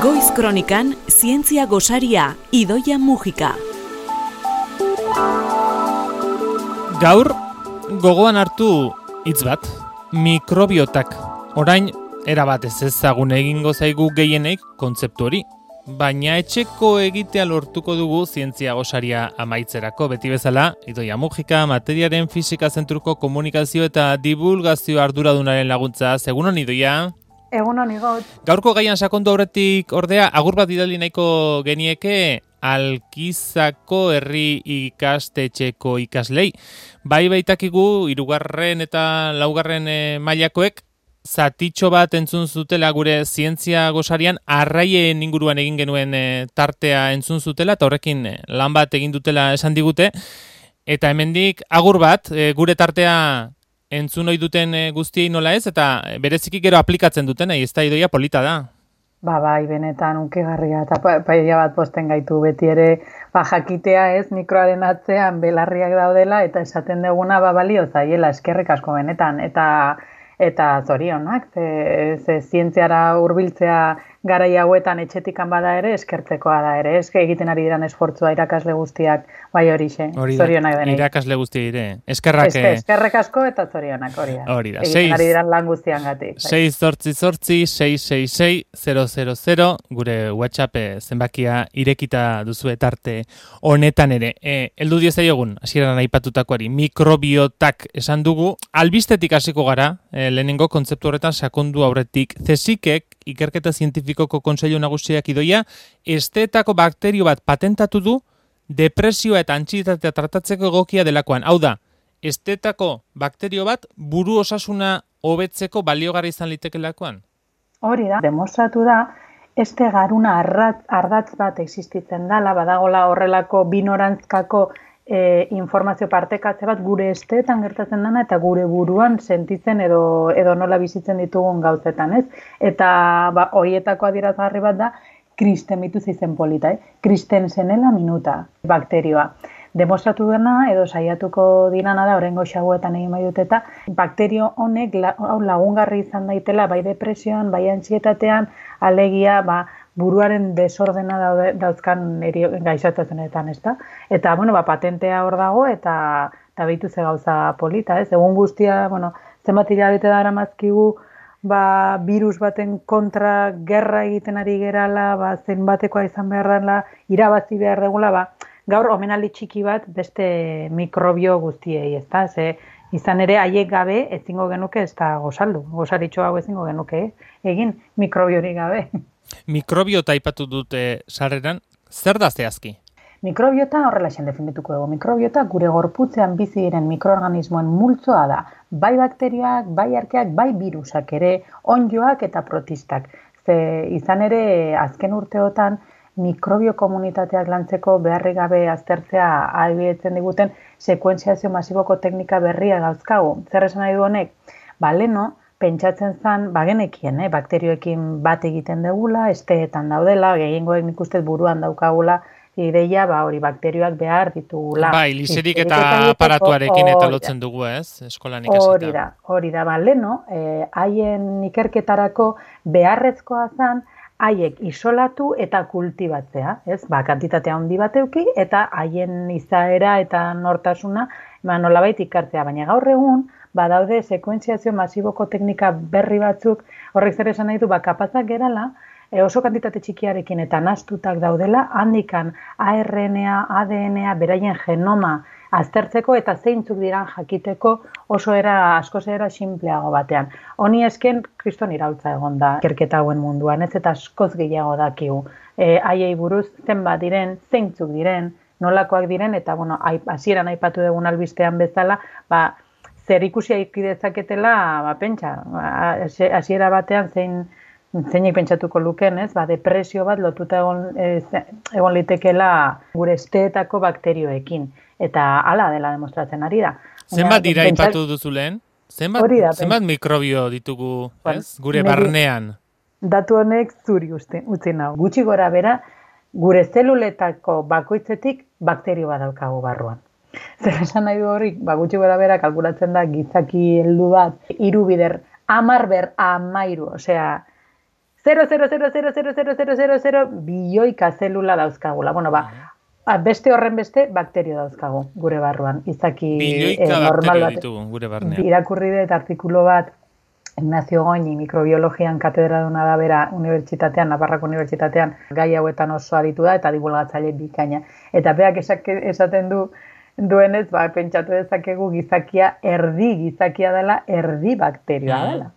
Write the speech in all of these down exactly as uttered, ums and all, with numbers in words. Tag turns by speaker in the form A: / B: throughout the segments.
A: Goiz Kronikan, zientzia gosaria, Idoia Mujika.
B: Gaur, gogoan hartu hitz bat, mikrobiotak. Orain, erabat ez ezagun egingo zaigu gehienek kontzeptu hori. Baina etxeko egitea lortuko dugu zientzia gosaria amaitzerako. Beti bezala, Idoia Mujika, materiaren fisika zentruko komunikazio eta divulgazio arduradunaren laguntza. Egunon, Idoia?
C: Egunon, Igot.
B: Gaurko gaian sakondu aurretik ordea, agur bat bidali nahiko genieke Alkizako herri ikastetxeko ikaslei. Bai baitakigu, hirugarren eta laugarren e, mailakoek, zatitxo bat entzun zutela gure zientzia gosarian, arraien inguruan egin genuen e, tartea entzun zutela, eta horrekin e, lan bat egin dutela esan digute. Eta hemendik agur bat, e, gure tartea entzun ohi duten e, guztiei nola ez, eta bereziki gero aplikatzen duten, ez da Idoia polita da.
C: Ba, bai, benetan unkigarria, eta paella bat posten gaitu beti ere, ba, jakitea ez, mikroaren atzean belarriak daudela, eta esaten duguna, ba, balio zaiela, eskerrik asko benetan, eta eta zorionak, ze, ze zientziara hurbiltzea garai hauetan etxetikan bada ere, eskertzekoa da ere, eske egiten ari diran esfortzua irakasle guztiak, bai horixe, zorionak denei.
B: Irakasle guzti dire, eskerrak...
C: Eske, eskerrak asko eta zorionak, hori da.
B: Hori da,
C: egiten ari diran lan guztian gatik.
B: sei zortzi zortzi, sei sei sei, zero zero zero, gure WhatsApp zenbakia irekita duzu etarte honetan ere. E, eldu diezaiogun, hasieran aipatutakoari, mikrobiotak esan dugu, albistetik hasiko gara, e, lehenengo kontzeptu horretan sakondu aurretik, zesikek, ikerketa zientifikoko kontseilu nagusiak Idoia, esteetako bakterio bat patentatu du depresioa eta antsietatea tratatzeko egokia delakoan. Hau da, esteetako bakterio bat buru osasuna hobetzeko baliogarri izan litekelakoan?
C: Hori da, demostratu da, este garuna ardatz, ardatz bat existitzen dela, badagola horrelako binorantzkako E, informazio partekatze bat gure esteetan gertatzen dena eta gure buruan sentitzen edo edo nola bizitzen ditugun gauzetan, ez? Eta ba horietako adierazgarri bat da kristemitus izen polita, eh? Kristensenela minuta bakterioa. Demostratu dena edo saiatuko dirana da oraingo xauetan egin bai dut eta bakterio honek hau lagungarri izan daitela bai depresioan, bai antsietatean, alegia ba buruaren desordena daude, dauzkan gaixotasunetan, ezta? Eta, bueno, ba, patentea hor dago eta eta behitu ze gauza polita, ez? Egun guztia, bueno, zenbat hilabete dara mazkigu, ba, virus baten kontra gerra egiten ari gerala, ba, zenbatekoa izan behar dela, irabazi behar degula, ba, gaur omenaldi txiki bat beste mikrobio guztiei, ezta? Ze, izan ere, haiek gabe ezingo genuke ez da gozaldu. Gozaritxo hau ezingo genuke, eh? Egin mikrobiorik gabe.
B: Mikrobiota aipatu dute sarreran, zer da zehazki?
C: Mikrobiota horrelaxen definituko dugu. Mikrobiota gure gorputzean bizi diren mikroorganismoen multzoa da. Bai bakterioak, bai arkeak, bai virusak ere, onddoak eta protistak. Ze izan ere azken urteotan mikrobio komunitateak lantzeko beharrik gabe aztertzea ahalbidetzen diguten sekuentziazio masiboko teknika berria dauzkagu. Zer esan nahi du honek? Ba, leno, pentsatzen zen, bagenekien, eh, bakterioekin bat egiten degula, esteetan daudela, gehiengoek nik ustez buruan daukagula, ideia, ba, hori bakterioak behar ditugula.
B: Bai, liserik eta aparatuarekin eta lotzen dugu, ez? Eskolan ikasita.
C: Hori da, hori da, ba, leno, eh, haien ikerketarako beharrezkoa zen, haiek isolatu eta kultibatzea, ez? Ba, kantitatea handi bat eduki eta haien izaera eta nortasuna, ba, nolabait ikartzea, baina gaur egun, badaude sekuentziazio masiboko teknika berri batzuk, horrek zer esan nahi du, ba, kapazak gerala, e, oso kantitate txikiarekin eta nahastutak daudela, handikan A R N A, A D N A, beraien genoma aztertzeko eta zeintzuk diran jakiteko oso era, askoz era sinpleago batean. Honi esken, kriston iraultza egon da ikerketa hauen munduan, ez eta askoz gehiago dakigu. E, haiei buruz zenbat diren, zeintzuk diren, nolakoak diren, eta bueno, hasieran aipatu dugun albistean bezala, ba, zer ikusia ikidezaketela, ba, pentsa, hasiera batean zein zeinik pentsatuko luken, ez? Ba, depresio bat lotuta egon, ez, egon litekela gure esteetako bakterioekin. Eta hala dela demostratzen ari da.
B: Zenbat dira aipatu duzu lehen? Zenbat, da, zenbat mikrobio ditugu, ez? Gure barnean?
C: Datu honek zuri utzi nau. Gutxi gora bera, gure zeluletako bakoitzetik bakterio bat daukagu barruan. Zer esan nahi du hori, ba, gutxi gora bera kalkulatzen da gizaki heldu bat, hiru bider, hamar ber hamairu, osea, zero koma zero zero zero zero zero zero zero bilioika zelula dauzkagula. Bueno, ba, beste horren beste bakterio dauzkagu gure barruan. Izaki
B: bilioika
C: eh, normal
B: bakterio
C: bat.
B: ditugu gure barnean.
C: Irakurri dut artikulu bat Ignacio Goñi mikrobiologian katedraduna da bera unibertsitatean, Navarrako unibertsitatean, gai hauetan oso aditu da eta divulgatzaile bikaina. Eta beak esaten du duenez, ba, pentsatu dezakegu gizakia erdi gizakia dela, erdi bakterioa dela.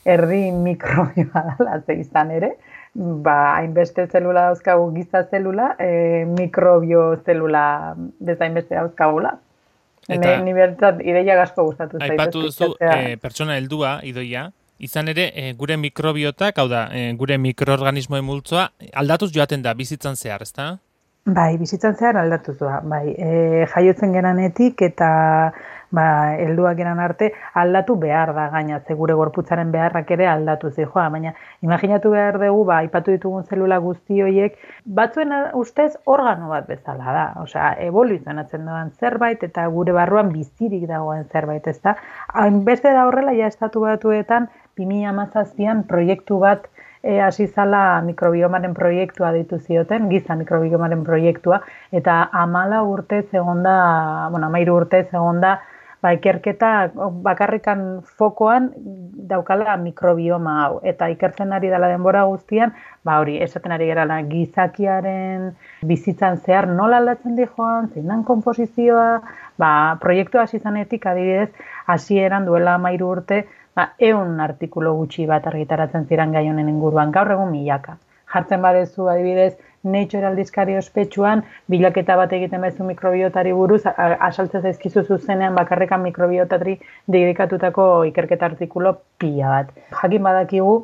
C: Erdi mikrobioa dela, ze izan ere, ba, hainbeste zelula dauzkagu giza zelula, e, mikrobio zelula bezainbeste dauzkagula. Eta ni bertzat ideia gasko gustatu zait.
B: Aipatu duzu e, pertsona heldua, Idoia, izan ere e, gure mikrobiotak, hau da, e, gure mikroorganismoen multzoa aldatuz joaten da bizitzan zehar, ezta?
C: Bai, bizitzan zehar aldatuz da. Bai, e, jaiotzen geranetik eta ba, helduak geran arte aldatu behar da gaina, ze gure gorputzaren beharrak ere aldatu zijoa, baina imaginatu behar dugu, ba, aipatu ditugun zelula guzti horiek, batzuen ustez organo bat bezala da, osea, evoluzionatzen doan zerbait eta gure barruan bizirik dagoen zerbait, ezta? Hainbeste da horrela, ja estatu batuetan, bi mila hamazazpian proiektu bat E, hasi zala mikrobiomaren proiektua deitu zioten, giza mikrobiomaren proiektua, eta amala urte zegonda, bueno, amairu urte zegonda, ba, ikerketa bakarrikan fokoan daukala mikrobioma hau, eta ikertzen ari dela denbora guztian, ba hori, esaten ari gerala gizakiaren bizitzan zehar nola aldatzen di joan, zein dan konposizioa, ba, proiektua hasi zanetik adibidez, hasieran duela amairu urte, ba, eun artikulu gutxi bat argitaratzen ziren gai honen inguruan, gaur egun milaka. Jartzen badezu adibidez, Nature aldizkari ospetsuan, bilaketa bat egiten bezu mikrobiotari buruz, asaltzen zaizkizu zuzenean bakarrekan mikrobiotari dedikatutako ikerketa artikulo pila bat. Jakin badakigu,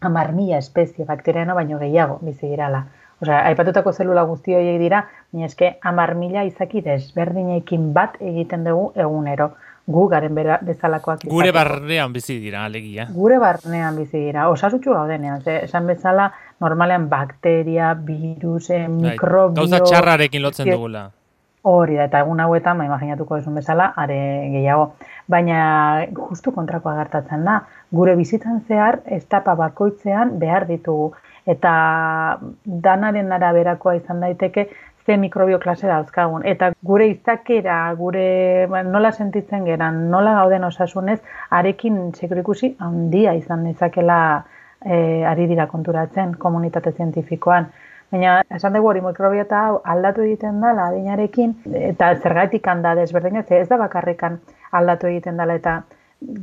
C: hamar mila espezie bakteriano baino gehiago bizi dirala. Osea, aipatutako zelula guzti horiek dira, baina eske hamar mila izaki desberdinekin bat egiten dugu egunero. Gu garen bera, bezalakoak izateko.
B: Gure barnean bizi dira, alegia.
C: Gure barnean bizi dira. Osasutxu gaudenean. Ze, esan bezala, normalean bakteria, virus, mikrobio...
B: Gauza txarrarekin lotzen dugula.
C: Hori da, eta egun hauetan, ma imaginatuko esun bezala, are gehiago. Baina, justu kontrakoa gertatzen da. Gure bizitzan zehar, etapa bakoitzean behar ditugu. Eta danaren araberakoa izan daiteke, ze mikrobio klase dauzkagun. Eta gure izakera, gure nola sentitzen geran, nola gauden osasunez, arekin sekurikusi handia izan dezakela e, ari dira konturatzen komunitate zientifikoan. Baina, esan dugu hori mikrobiota hau aldatu egiten dela adinarekin, eta zergatik handa desberdina, ez da bakarrikan aldatu egiten dela, eta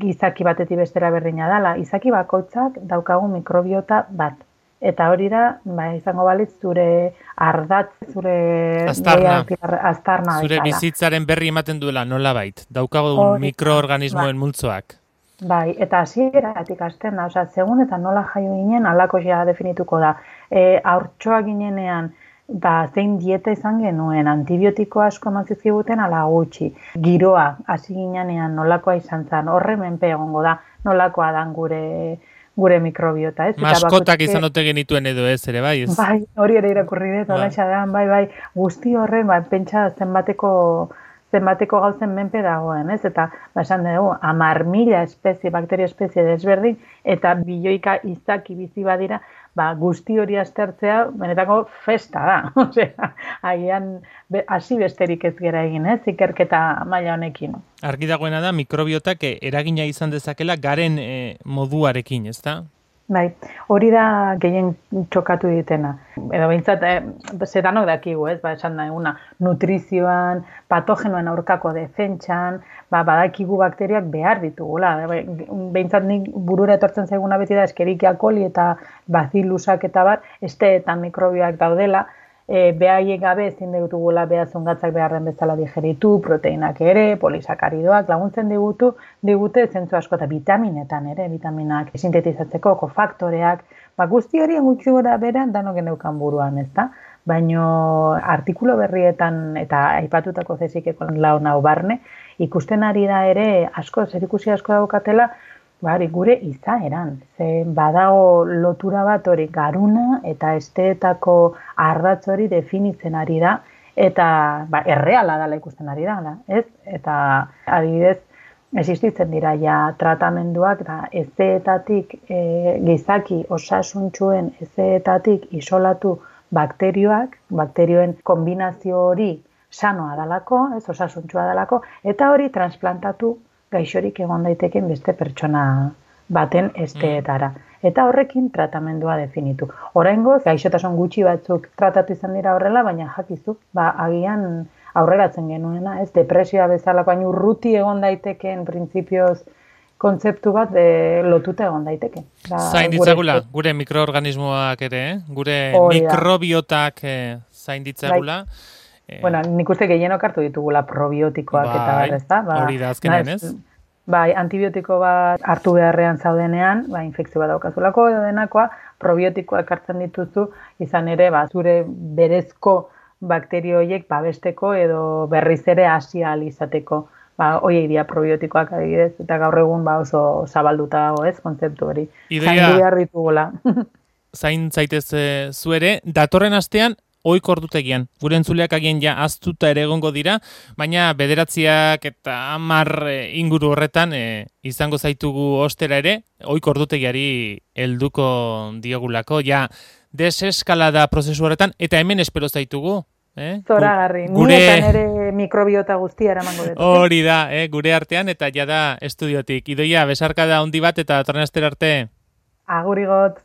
C: gizaki batetik bestera berdina dela. Izaki bakoitzak daukagu mikrobiota bat. Eta hori da, ba, izango balitz, zure ardatz, zure...
B: Aztarna.
C: Aztarna.
B: Zure
C: bezala.
B: Bizitzaren berri ematen duela, nola bait. Daukagu mikroorganismoen ba. multzoak.
C: Bai, eta hasieratik hasten da, osea, segun eta nola jaio ginen, alako ja definituko da. E, haurtxoa ginenean, ba, zein dieta izan genuen, antibiotiko asko eman zizkiguten ala gutxi. Giroa, hasi ginenean nolakoa izan zen, horre menpe egongo da, nolakoa dan gure... gure mikrobiota, ez?
B: Maskotak izan ote genituen edo ez, ere bai? Ez?
C: Bai, hori ere irakurri dut, hola xadean, bai, bai, guzti horren, bai, pentsa zenbateko, zenbateko gauzen menpe dagoen, ez? Eta, ba, esan dugu, hamar mila espezie, bakterio espezie desberdin, eta bilioika izaki bizi badira, ba, guzti hori aztertzea, benetako festa da, osea, agian, hasi besterik ez gera egin, ez? Ikerketa maila honekin.
B: Argi dagoena da, mikrobiotak eragina izan dezakela garen e, moduarekin, ez da?
C: Bai, hori da gehien txokatu ditena. Edo behintzat, eh, zetanok dakigu, ez, ba, esan da eguna, nutrizioan, patogenoen aurkako defentsan, ba, badakigu bakteriak behar ditugula. Behintzat nik burura etortzen zaiguna beti da, Escherichia coli eta bacilusak eta bar, esteetan mikrobioak daudela, E, behaiek gabe ezin digutugula behazungatzak beharren bezala digeritu, proteinak ere, polisakaridoak, laguntzen digutu, digute zentzu asko eta vitaminetan ere, vitaminak sintetizatzeko, kofaktoreak, ba, guzti hori gutxi gora bera danok geneukan buruan, ezta? Baino artikulo berrietan eta aipatutako zezikeko laun hau barne, ikusten ari da ere asko, zerikusi asko daukatela, Bari, gure izaeran, ze badago lotura bat hori garuna eta esteetako ardatz hori definitzen ari da, eta ba, erreala dela ikusten ari da, ez? Eta adibidez, existitzen dira ja tratamenduak da ezeetatik e, gizaki osasuntsuen ezeetatik isolatu bakterioak, bakterioen kombinazio hori sanoa dalako, ez osasuntsua dalako, eta hori transplantatu gaixorik egon daiteken beste pertsona baten esteetara. Eta horrekin tratamendua definitu. Oraingoz, gaixotasun gutxi batzuk tratatu izan dira horrela, baina jakizu, ba, agian aurreratzen genuena, ez depresioa bezalako hain urruti egon daitekeen printzipioz kontzeptu bat de, lotuta egon daiteke. Da,
B: zain ditzagula, gure, gure mikroorganismoak ere, eh? Gure mikrobiotak eh, zain ditzagula.
C: Eh, bueno, nik uste gehienok hartu ditugula probiotikoak bai, eta berrez da. Ba,
B: hori da azkenean ez?
C: Bai, antibiotiko bat hartu beharrean zaudenean, ba, infekzio bat daukazulako edo denakoa, probiotikoak hartzen dituzu, izan ere, ba, zure berezko bakterio horiek babesteko edo berriz ere hasi ahal izateko. Ba, hoiek dira probiotikoak adibidez, eta gaur egun ba, oso zabalduta dago, ez, kontzeptu hori.
B: Idoia,
C: zain behar ditugula.
B: zain zaitez e, zuere, datorren astean, ohiko ordutegian. Gure entzuleak agian ja aztuta ere egongo dira, baina bederatziak eta hamar inguru horretan e, izango zaitugu ostera ere, ohiko ordutegiari helduko diogulako, ja deseskalada prozesu horretan, eta hemen espero zaitugu. Eh?
C: Zoragarri,
B: gure...
C: ni eta nire mikrobiota guztia eramango dut.
B: Hori da, eh? Gure artean eta jada estudiotik. Idoia, besarka da handi bat eta datorren astera arte.
C: Agurigot.